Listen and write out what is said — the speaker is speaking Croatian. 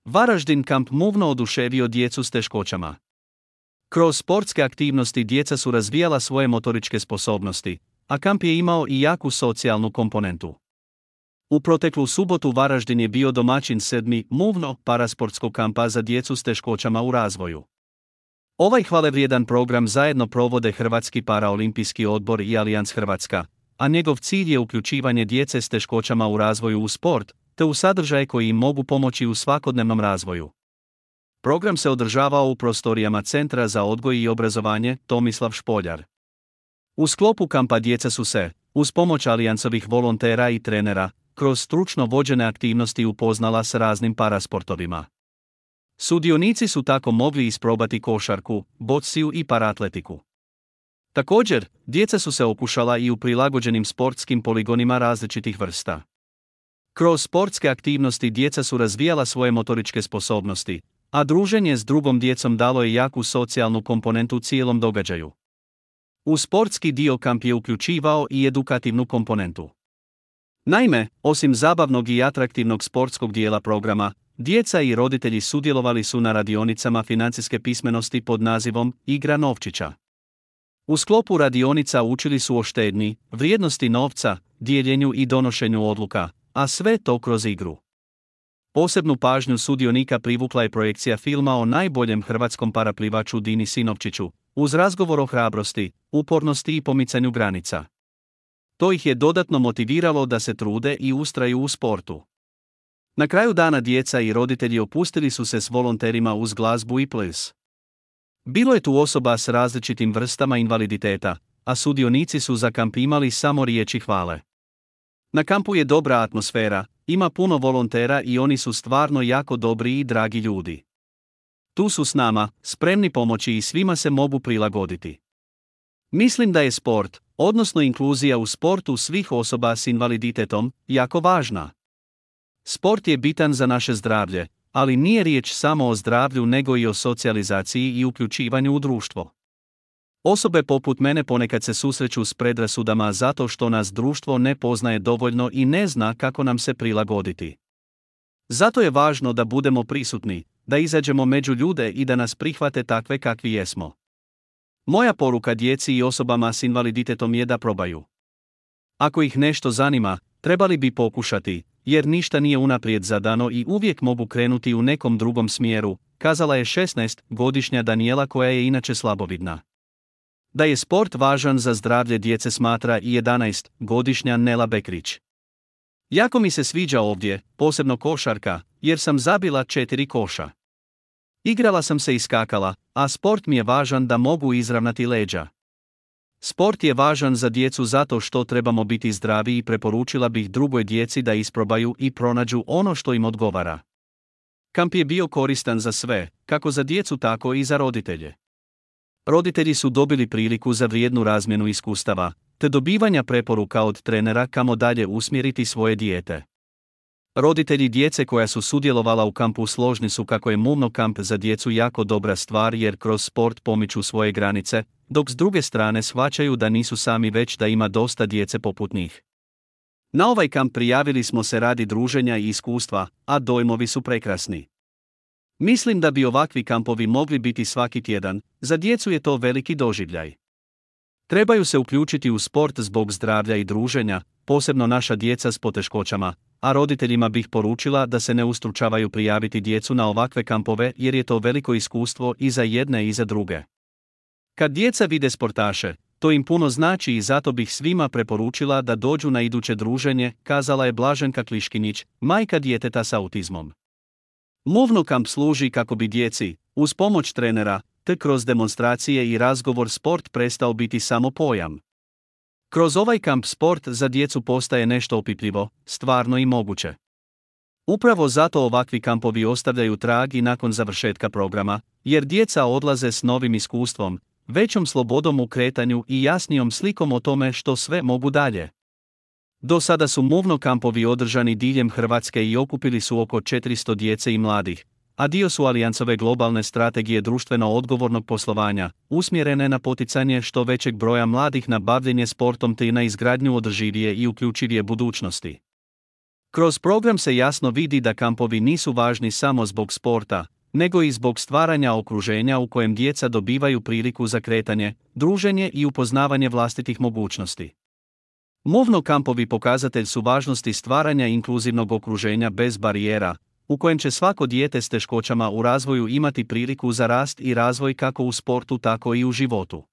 Varaždin kamp Muvno oduševio djecu s teškoćama. Kroz sportske aktivnosti djeca su razvijala svoje motoričke sposobnosti, a kamp je imao i jaku socijalnu komponentu. U proteklu subotu Varaždin je bio domaćin 7. Muvno parasportskog kampa za djecu s teškoćama u razvoju. Ovaj hvalevrijedan program zajedno provode Hrvatski paraolimpijski odbor i Allianz Hrvatska, a njegov cilj je uključivanje djece s teškoćama u razvoju u sport, te u sadržaje koji im mogu pomoći u svakodnevnom razvoju. Program se održavao u prostorijama Centra za odgoj i obrazovanje Tomislav Špoljar. U sklopu kampa djeca su se, uz pomoć Allianzovih volontera i trenera, kroz stručno vođene aktivnosti upoznala s raznim parasportovima. Sudionici su tako mogli isprobati košarku, bociju i paraatletiku. Također, djeca su se okušala i u prilagođenim sportskim poligonima različitih vrsta. Kroz sportske aktivnosti djeca su razvijala svoje motoričke sposobnosti, a druženje s drugom djecom dalo je jaku socijalnu komponentu cijelom događaju. U sportski dio kamp je uključivao i edukativnu komponentu. Naime, osim zabavnog i atraktivnog sportskog dijela programa, djeca i roditelji sudjelovali su na radionicama financijske pismenosti pod nazivom Igra novčića. U sklopu radionica učili su o štednji, vrijednosti novca, dijeljenju i donošenju odluka, a sve to kroz igru. Posebnu pažnju sudionika privukla je projekcija filma o najboljem hrvatskom paraplivaču Dini Sinovčiću, uz razgovor o hrabrosti, upornosti i pomicanju granica. To ih je dodatno motiviralo da se trude i ustraju u sportu. Na kraju dana djeca i roditelji opustili su se s volonterima uz glazbu i ples. Bilo je tu osoba s različitim vrstama invaliditeta, a sudionici su za kamp imali samo riječi hvale. Na kampu je dobra atmosfera, ima puno volontera i oni su stvarno jako dobri i dragi ljudi. Tu su s nama, spremni pomoći i svima se mogu prilagoditi. Mislim da je sport, odnosno inkluzija u sportu svih osoba s invaliditetom, jako važna. Sport je bitan za naše zdravlje, ali nije riječ samo o zdravlju nego i o socijalizaciji i uključivanju u društvo. Osobe poput mene ponekad se susreću s predrasudama zato što nas društvo ne poznaje dovoljno i ne zna kako nam se prilagoditi. Zato je važno da budemo prisutni, da izađemo među ljude i da nas prihvate takve kakvi jesmo. Moja poruka djeci i osobama s invaliditetom je da probaju. Ako ih nešto zanima, trebali bi pokušati, jer ništa nije unaprijed zadano i uvijek mogu krenuti u nekom drugom smjeru, kazala je 16-godišnja Danijela koja je inače slabovidna. Da je sport važan za zdravlje djece smatra i 11-godišnja Nela Bekrić. Jako mi se sviđa ovdje, posebno košarka, jer sam zabila 4 koša. Igrala sam se i skakala, a sport mi je važan da mogu izravnati leđa. Sport je važan za djecu zato što trebamo biti zdravi i preporučila bih drugoj djeci da isprobaju i pronađu ono što im odgovara. Kamp je bio koristan za sve, kako za djecu tako i za roditelje. Roditelji su dobili priliku za vrijednu razmjenu iskustava, te dobivanja preporuka od trenera kamo dalje usmjeriti svoje dijete. Roditelji djece koja su sudjelovala u kampu složni su kako je Muvno kamp za djecu jako dobra stvar jer kroz sport pomiču svoje granice, dok s druge strane shvaćaju da nisu sami već da ima dosta djece poput njih. Na ovaj kamp prijavili smo se radi druženja i iskustva, a dojmovi su prekrasni. Mislim da bi ovakvi kampovi mogli biti svaki tjedan, za djecu je to veliki doživljaj. Trebaju se uključiti u sport zbog zdravlja i druženja, posebno naša djeca s poteškoćama, a roditeljima bih poručila da se ne ustručavaju prijaviti djecu na ovakve kampove jer je to veliko iskustvo i za jedne i za druge. Kad djeca vide sportaše, to im puno znači i zato bih svima preporučila da dođu na iduće druženje, kazala je Blaženka Kliškinić, majka djeteta s autizmom. Muvno kamp služi kako bi djeci, uz pomoć trenera, te kroz demonstracije i razgovor sport prestao biti samo pojam. Kroz ovaj kamp sport za djecu postaje nešto opipljivo, stvarno i moguće. Upravo zato ovakvi kampovi ostavljaju trag i nakon završetka programa, jer djeca odlaze s novim iskustvom, većom slobodom u kretanju i jasnijom slikom o tome što sve mogu dalje. Do sada su Muvno kampovi održani diljem Hrvatske i okupili su oko 400 djece i mladih, a dio su Allianzove globalne strategije društveno odgovornog poslovanja, usmjerene na poticanje što većeg broja mladih na bavljenje sportom te na izgradnju održivije i uključivije budućnosti. Kroz program se jasno vidi da kampovi nisu važni samo zbog sporta, nego i zbog stvaranja okruženja u kojem djeca dobivaju priliku za kretanje, druženje i upoznavanje vlastitih mogućnosti. Movno kampovi pokazatelj su važnosti stvaranja inkluzivnog okruženja bez barijera, u kojem će svako dijete s teškoćama u razvoju imati priliku za rast i razvoj kako u sportu tako i u životu.